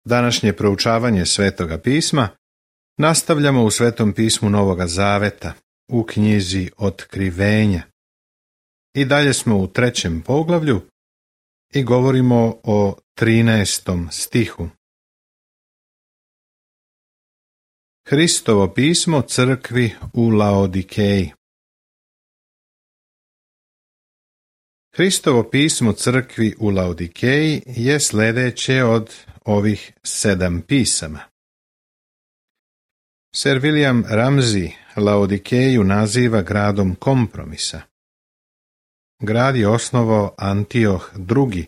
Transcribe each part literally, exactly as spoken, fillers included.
Današnje proučavanje Svetoga pisma nastavljamo u Svetom pismu Novoga Zaveta, u knjizi Otkrivenja. I dalje smo u trećem poglavlju i govorimo o trinaestom stihu. Hristovo pismo crkvi u Laodikeji. Hristovo pismo crkvi u Laodikeji je sljedeće od ovih sedam pisama. Sir William Ramsay Laodikeju naziva gradom kompromisa. Grad je osnovao Antioh drugi,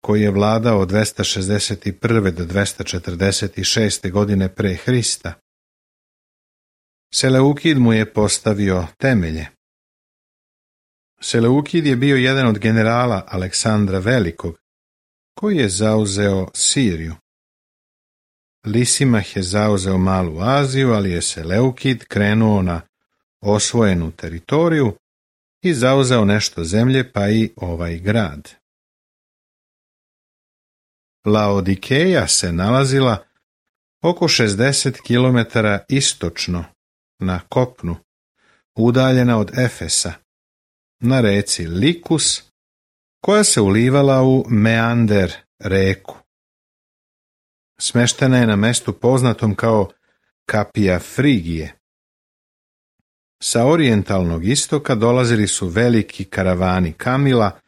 koji je vladao od dvesta šezdeset prve do dvesta četrdeset šeste godine pre Hrista. Seleukid mu je postavio temelje. Seleukid je bio jedan od generala Aleksandra Velikog, koji je zauzeo Siriju. Lisimah je zauzeo Malu Aziju, ali je Seleukid krenuo na osvojenu teritoriju i zauzeo nešto zemlje, pa i ovaj grad. Laodikeja se nalazila oko šezdeset kilometara istočno na kopnu, udaljena od Efesa, na reci Likus, koja se ulivala u Meander reku. Smeštena je na mestu poznatom kao Kapija Frigije. Sa orijentalnog istoka dolazili su veliki karavani kamila,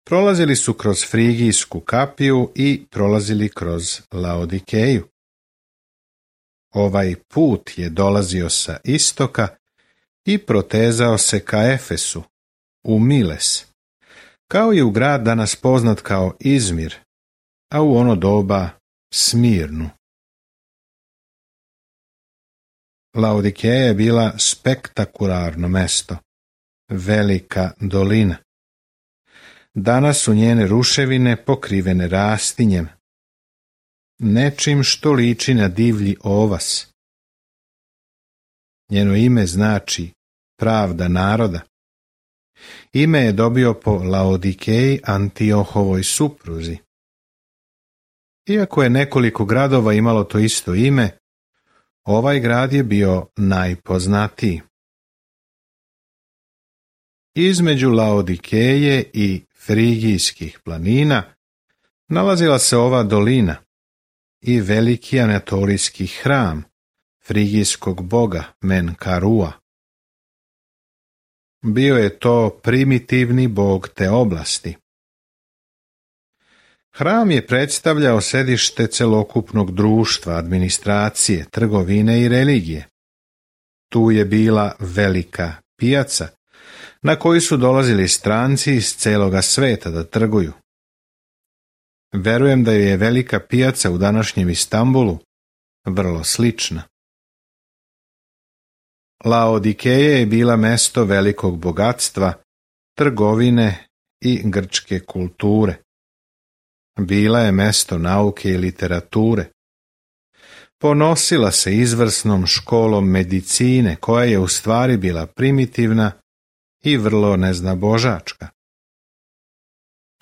prolazili su kroz Frigijsku kapiju i prolazili kroz Laodikeju. Ovaj put je dolazio sa istoka i protezao se ka Efesu, u Miles, kao i u grad danas poznat kao Izmir, a u ono doba Smirnu. Laodikeja je bila spektakularno mesto, velika dolina. Danas su njene ruševine pokrivene rastinjem, nečim što liči na divlji ovas. Njeno ime znači pravda naroda. Ime je dobio po Laodikeji, Antiohovoj supruzi. Iako je nekoliko gradova imalo to isto ime, ovaj grad je bio najpoznatiji. Između Laodikeje i Frigijskih planina nalazila se ova dolina i veliki anatolijski hram frigijskog boga Menkarua. Bio je to primitivni bog te oblasti. Hram je predstavljao sedište celokupnog društva, administracije, trgovine i religije. Tu je bila velika pijaca, na koju su dolazili stranci iz celoga sveta da trguju. Verujem da je velika pijaca u današnjem Istanbulu vrlo slična. Laodikeja je bila mesto velikog bogatstva, trgovine i grčke kulture. Bila je mesto nauke i literature. Ponosila se izvrsnom školom medicine, koja je u stvari bila primitivna i vrlo neznabožačka.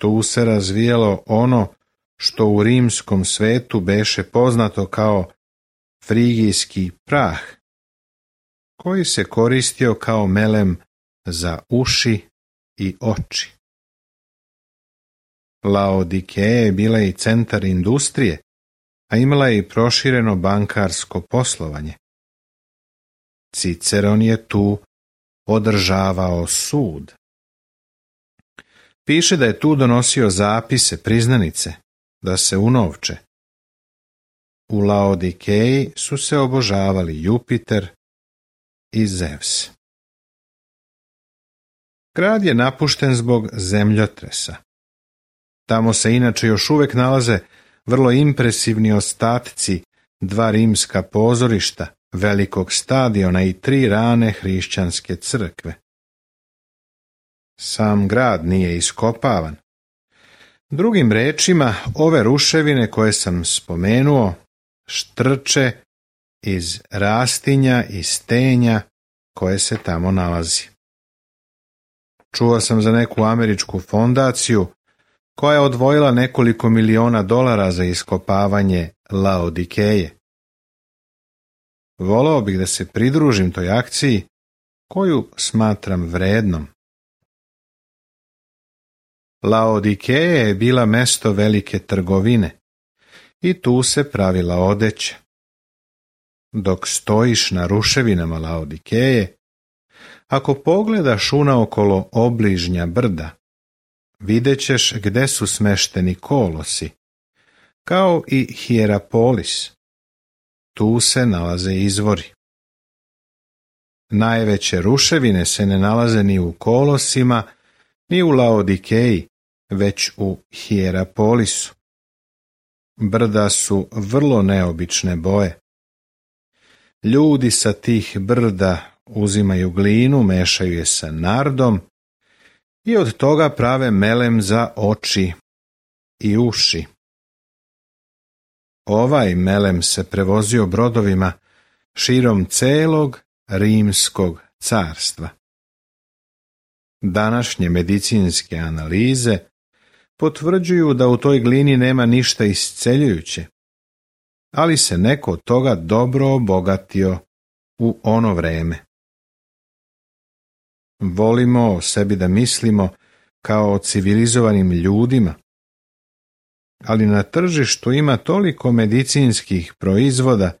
Tu se razvijalo ono što u rimskom svetu beše poznato kao frigijski prah, koji se koristio kao melem za uši i oči. Laodikeja je bila i centar industrije, a imala je i prošireno bankarsko poslovanje. Ciceron je tu održavao sud. Piše da je tu donosio zapise, priznanice, da se unovče. U Laodikeji su se obožavali Jupiter i Zevs. Grad je napušten zbog zemljotresa. Tamo se inače još uvijek nalaze vrlo impresivni ostatci dva rimska pozorišta, velikog stadiona i tri rane hrišćanske crkve. Sam grad nije iskopavan. Drugim rečima, ove ruševine koje sam spomenuo štrče iz rastinja i stenja koje se tamo nalazi. Čuo sam za neku američku fondaciju koja je odvojila nekoliko miliona dolara za iskopavanje Laodikeje. Voleo bih da se pridružim toj akciji koju smatram vrednom. Laodikeja je bila mesto velike trgovine i tu se pravila odeća. Dok stojiš na ruševinama Laodikeje, ako pogledaš unaokolo obližnja brda, vidjet ćeš gde su smešteni kolosi, kao i Hierapolis. Tu se nalaze izvori. Najveće ruševine se ne nalaze ni u kolosima, ni u Laodikeji, već u Hierapolisu. Brda su vrlo neobične boje. Ljudi sa tih brda uzimaju glinu, mešaju je sa nardom i od toga prave melem za oči i uši. Ovaj melem se prevozio brodovima širom celog Rimskog carstva. Današnje medicinske analize potvrđuju da u toj glini nema ništa isceljujuće, ali se neko od toga dobro obogatio u ono vreme. Volimo o sebi da mislimo kao o civilizovanim ljudima, ali na tržištu ima toliko medicinskih proizvoda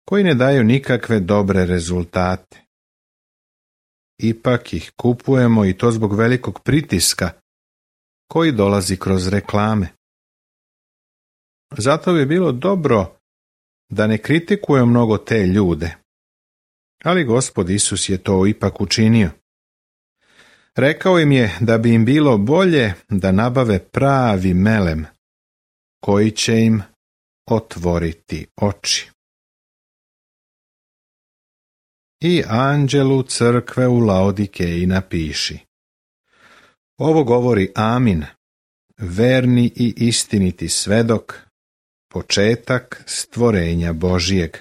koji ne daju nikakve dobre rezultate. Ipak ih kupujemo i to zbog velikog pritiska koji dolazi kroz reklame. Zato bi bilo dobro da ne kritikuje mnogo te ljude, ali Gospod Isus je to ipak učinio. Rekao im je da bi im bilo bolje da nabave pravi melem, koji će im otvoriti oči. I anđelu crkve u Laodikeji napiši: Ovo govori Amin, verni i istiniti svedok, početak stvorenja Božijeg.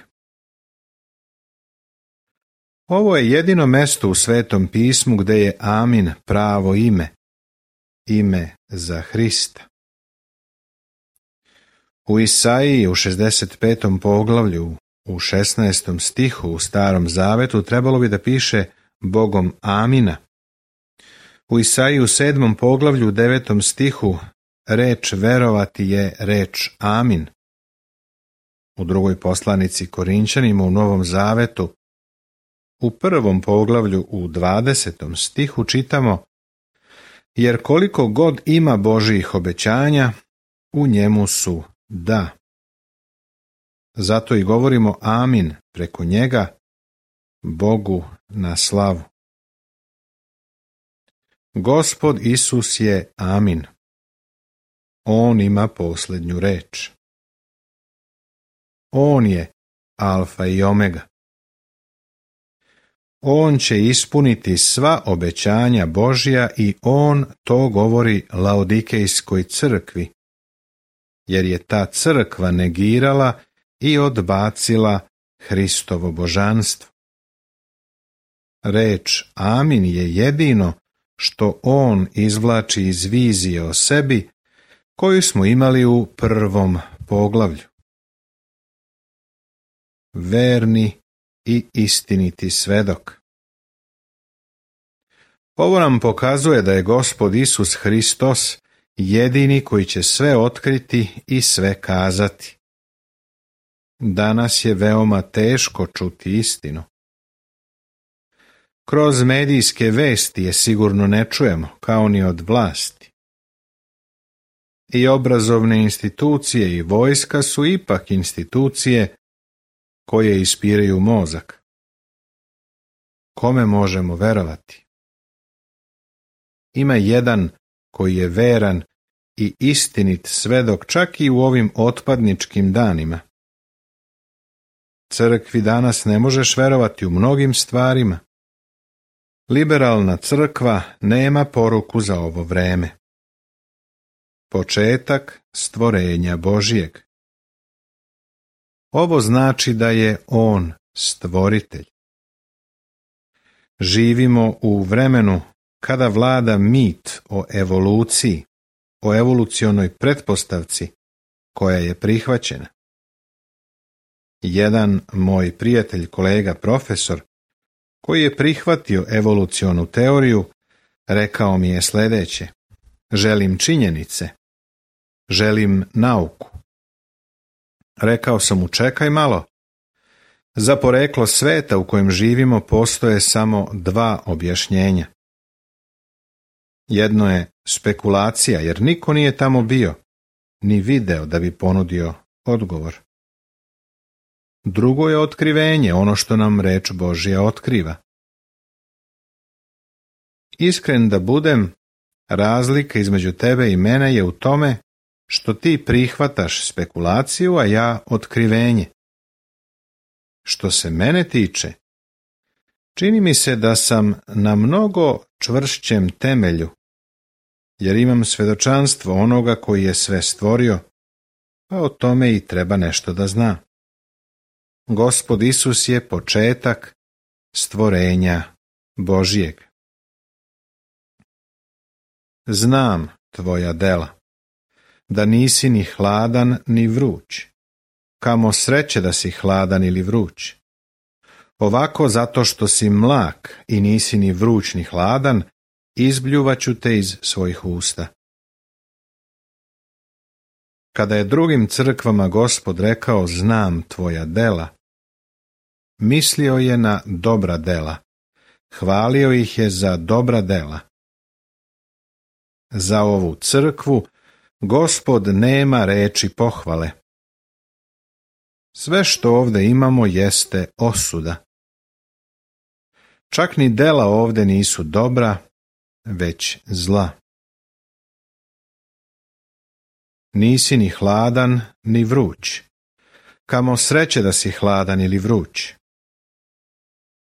Ovo je jedino mesto u Svetom pismu gde je Amin pravo ime, ime za Hrista. U Isaiji u šezdeset petom poglavlju, u šesnaestom stihu u Starom Zavetu trebalo bi da piše Bogom Amina. U Isaiji u sedmom poglavlju, u devetom stihu, reč verovati je reč Amin. U drugoj poslanici Korinćanima u Novom Zavetu, u prvom poglavlju u dvadesetom stihu čitamo: Jer koliko god ima Božijih obećanja, u njemu su da. Zato i govorimo Amin preko njega, Bogu na slavu. Gospod Isus je Amin. On ima posljednju reč. On je Alfa i Omega. On će ispuniti sva obećanja Božja i on to govori Laodikejskoj crkvi, jer je ta crkva negirala i odbacila Hristovo božanstvo. Reč Amin je jedino što on izvlači iz vizije o sebi koju smo imali u prvom poglavlju. Verni i istiniti svedok. Ovo nam pokazuje da je Gospod Isus Hristos jedini koji će sve otkriti i sve kazati. Danas je veoma teško čuti istinu. Kroz medijske vesti je sigurno ne čujemo, kao ni od vlasti. I obrazovne institucije i vojska su ipak institucije koje ispiraju mozak. Kome možemo verovati? Ima jedan koji je veran i istinit svedok čak i u ovim otpadničkim danima. Crkvi danas ne možeš verovati u mnogim stvarima. Liberalna crkva nema poruku za ovo vreme. Početak stvorenja Božijeg. Ovo znači da je on stvoritelj. Živimo u vremenu kada vlada mit o evoluciji, o evolucionoj pretpostavci koja je prihvaćena. Jedan moj prijatelj, kolega, profesor, koji je prihvatio evolucionu teoriju, rekao mi je sljedeće: želim činjenice, želim nauku. Rekao sam mu: čekaj malo, za poreklo sveta u kojem živimo postoje samo dva objašnjenja. Jedno je spekulacija, jer niko nije tamo bio, ni video da bi ponudio odgovor. Drugo je otkrivenje, ono što nam reč Božja otkriva. Iskren da budem, razlika između tebe i mene je u tome što ti prihvataš spekulaciju, a ja otkrivenje. Što se mene tiče, čini mi se da sam na mnogo čvršćem temelju, jer imam svjedočanstvo onoga koji je sve stvorio, pa o tome i treba nešto da zna. Gospod Isus je početak stvorenja Božjeg. Znam tvoja dela, da nisi ni hladan ni vruć. Kamo sreće da si hladan ili vruć. Ovako, zato što si mlak i nisi ni vruć ni hladan, izbljuvaću te iz svojih usta. Kada je drugim crkvama Gospod rekao znam tvoja dela, mislio je na dobra dela, hvalio ih je za dobra dela. Za ovu crkvu Gospod nema reči pohvale. Sve što ovdje imamo jeste osuda. Čak ni dela ovdje nisu dobra, već zla. Nisi ni hladan, ni vruć. Kamo sreće da si hladan ili vruć.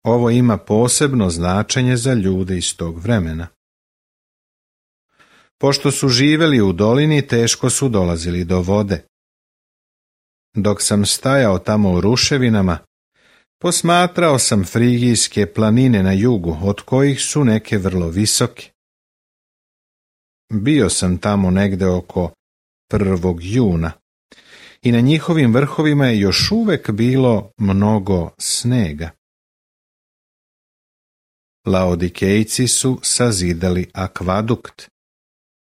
Ovo ima posebno značenje za ljude iz tog vremena. Pošto su živjeli u dolini, teško su dolazili do vode. Dok sam stajao tamo u ruševinama, posmatrao sam frigijske planine na jugu, od kojih su neke vrlo visoke. Bio sam tamo negde oko prvog juna i na njihovim vrhovima je još uvek bilo mnogo snega. Laodikejci su sazidali akvadukt,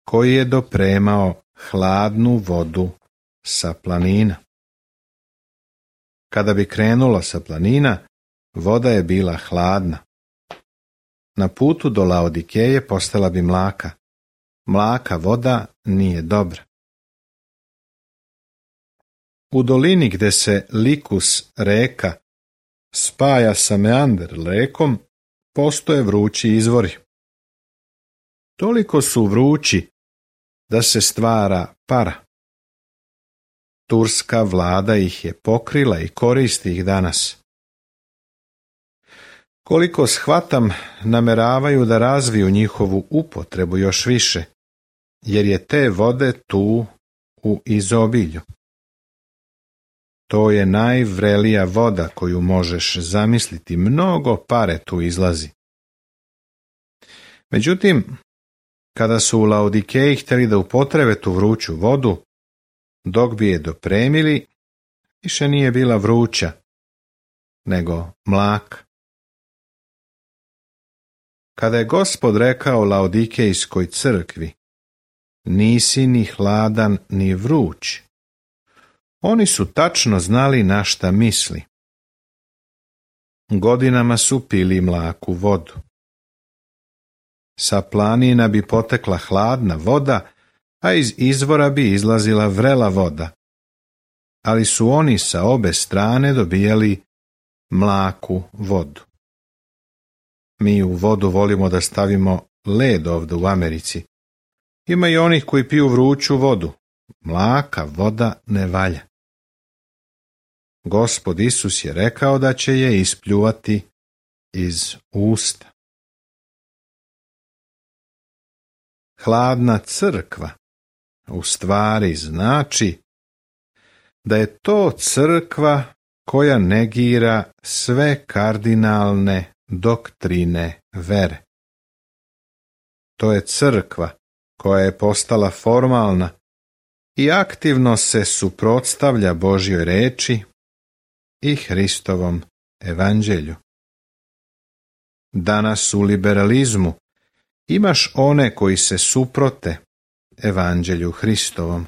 koji je dopremao hladnu vodu sa planina. Kada bi krenulo sa planina, voda je bila hladna. Na putu do Laodikeje postala bi mlaka. Mlaka voda nije dobra. U dolini gde se Likus reka spaja sa Meander rekom, postoje vrući izvori. Toliko su vrući da se stvara para. Turska vlada ih je pokrila i koristi ih danas. Koliko shvatam, nameravaju da razviju njihovu upotrebu još više, jer je te vode tu u izobilju. To je najvrelija voda koju možeš zamisliti, mnogo pare tu izlazi. Međutim, kada su u Laodikeji htjeli da upotrebe tu vruću vodu, dok bi je dopremili, više nije bila vruća, nego mlak. Kada je Gospod rekao Laodikejskoj crkvi, nisi ni hladan ni vruć, oni su tačno znali na šta misli. Godinama su pili mlaku vodu. Sa planina bi potekla hladna voda, a iz izvora bi izlazila vrela voda. Ali su oni sa obe strane dobijali mlaku vodu. Mi u vodu volimo da stavimo led ovdje u Americi. Ima i onih koji piju vruću vodu. Mlaka voda ne valja. Gospod Isus je rekao da će je ispljuvati iz usta. Hladna crkva u stvari znači da je to crkva koja negira sve kardinalne doktrine vere. To je crkva koja je postala formalna i aktivno se suprotstavlja Božjoj reči i Hristovom evanđelju. Danas u liberalizmu imaš one koji se suprote evanđelju Hristovom.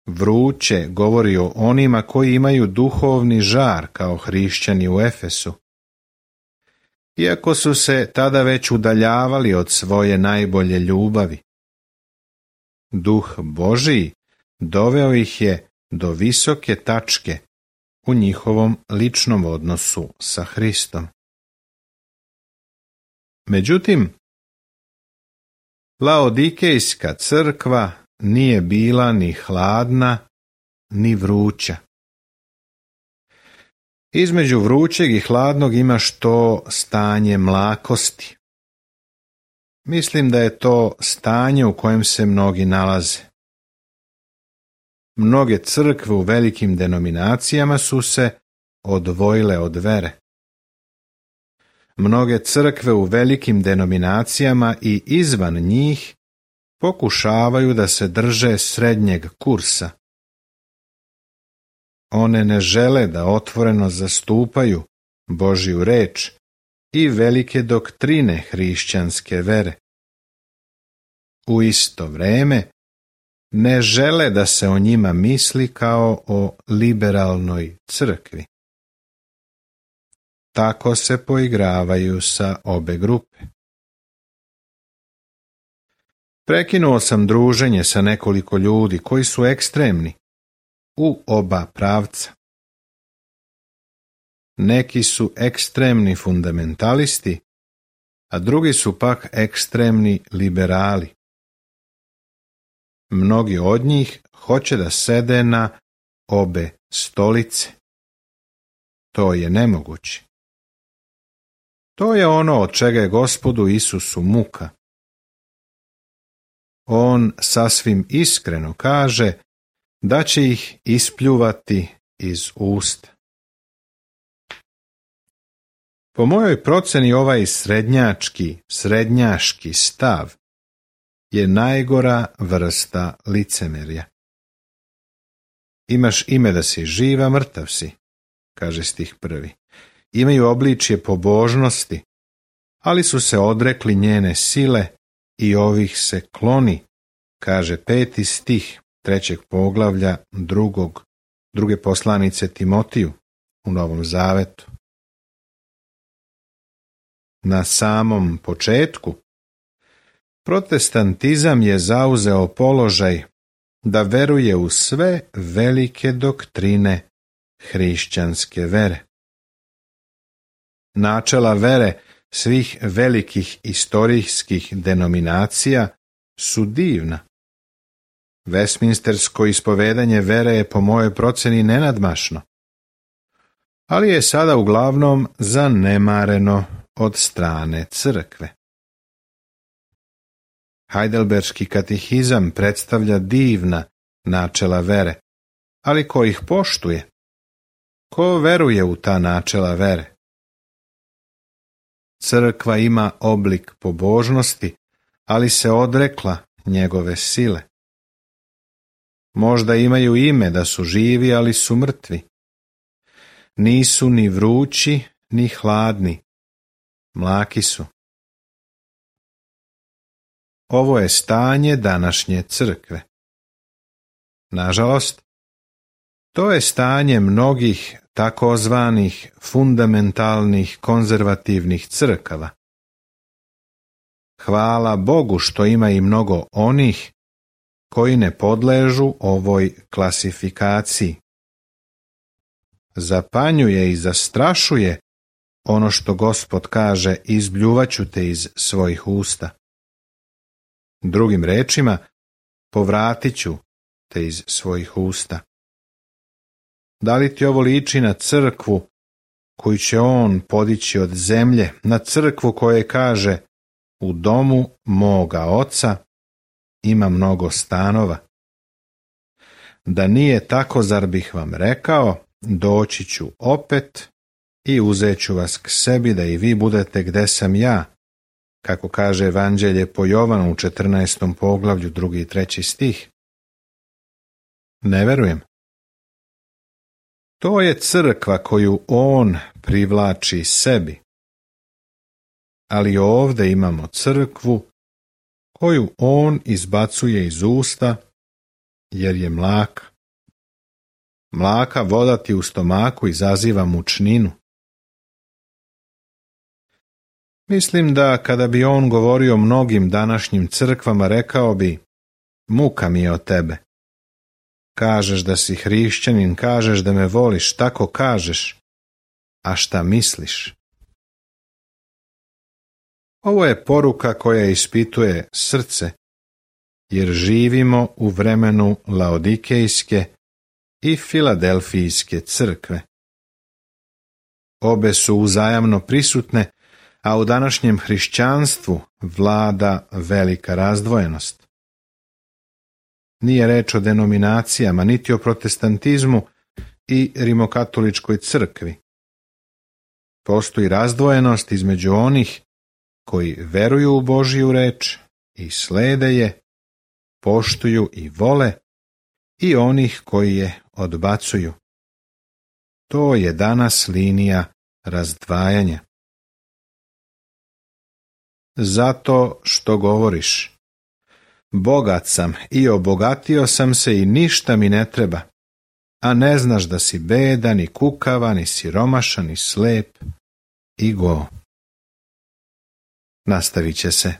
Vruće govori o onima koji imaju duhovni žar kao hrišćani u Efesu. Iako su se tada već udaljavali od svoje najbolje ljubavi. Duh Božiji doveo ih je do visoke tačke u njihovom ličnom odnosu sa Hristom. Međutim, Laodikejska crkva nije bila ni hladna, ni vruća. Između vrućeg i hladnog imaš to stanje mlakosti. Mislim da je to stanje u kojem se mnogi nalaze. Mnoge crkve u velikim denominacijama su se odvojile od vere. Mnoge crkve u velikim denominacijama i izvan njih pokušavaju da se drže srednjeg kursa. One ne žele da otvoreno zastupaju Božju reč i velike doktrine hrišćanske vere. U isto vreme ne žele da se o njima misli kao o liberalnoj crkvi. Tako se poigravaju sa obe grupe. Prekinuo sam druženje sa nekoliko ljudi koji su ekstremni u oba pravca. Neki su ekstremni fundamentalisti, a drugi su pak ekstremni liberali. Mnogi od njih hoće da sede na obe stolice. To je nemoguće. To je ono od čega je Gospodu Isusu muka. On sasvim iskreno kaže da će ih ispljuvati iz usta. Po mojoj proceni ovaj srednjački, srednjaški stav je najgora vrsta licemerja. Imaš ime da si živ, a mrtav si, kaže stih prvi. Imaju obličje pobožnosti, ali su se odrekli njene sile i ovih se kloni, kaže peti stih trećeg poglavlja drugog, druge poslanice Timotiju u Novom Zavetu. Na samom početku protestantizam je zauzeo položaj da veruje u sve velike doktrine hrišćanske vere. Načela vere svih velikih istorijskih denominacija su divna. Westminstersko ispovedanje vere je po mojoj proceni nenadmašno, ali je sada uglavnom zanemareno od strane crkve. Heidelberški katehizam predstavlja divna načela vere, ali ko ih poštuje? Ko veruje u ta načela vere? Crkva ima oblik pobožnosti, ali se odrekla njegove sile. Možda imaju ime da su živi, ali su mrtvi. Nisu ni vrući, ni hladni. Mlaki su. Ovo je stanje današnje crkve. Nažalost, to je stanje mnogih takozvanih fundamentalnih konzervativnih crkava. Hvala Bogu što ima i mnogo onih koji ne podležu ovoj klasifikaciji. Zapanjuje i zastrašuje ono što Gospod kaže, izbljuvaću te iz svojih usta. Drugim rečima, povratit ću te iz svojih usta. Da li ti ovo liči na crkvu koju će on podići od zemlje, na crkvu koja kaže, u domu moga oca ima mnogo stanova? Da nije tako, zar bih vam rekao, doći ću opet i uzet ću vas k sebi da i vi budete gde sam ja, kako kaže Evanđelje po Jovanu u četrnaestom poglavlju, drugi i treći stih? Ne verujem. To je crkva koju on privlači sebi. Ali ovdje imamo crkvu koju on izbacuje iz usta, jer je mlaka. Mlaka voda ti u stomaku izaziva mučninu. Mislim da kada bi on govorio mnogim današnjim crkvama, rekao bi: muka mi je od tebe. Kažeš da si hrišćanin, kažeš da me voliš, tako kažeš, a šta misliš? Ovo je poruka koja ispituje srce, jer živimo u vremenu Laodikejske i Filadelfijske crkve. Obe su uzajamno prisutne, a u današnjem hrišćanstvu vlada velika razdvojenost. Nije reč o denominacijama, niti o protestantizmu i rimokatoličkoj crkvi. Postoji razdvojenost između onih koji veruju u Božju reč i slede je, poštuju i vole, i onih koji je odbacuju. To je danas linija razdvajanja. Zato što govoriš: bogat sam i obogatio sam se i ništa mi ne treba, a ne znaš da si bedan i kukava, ni siromašan, ni slep i go. Nastavit će se.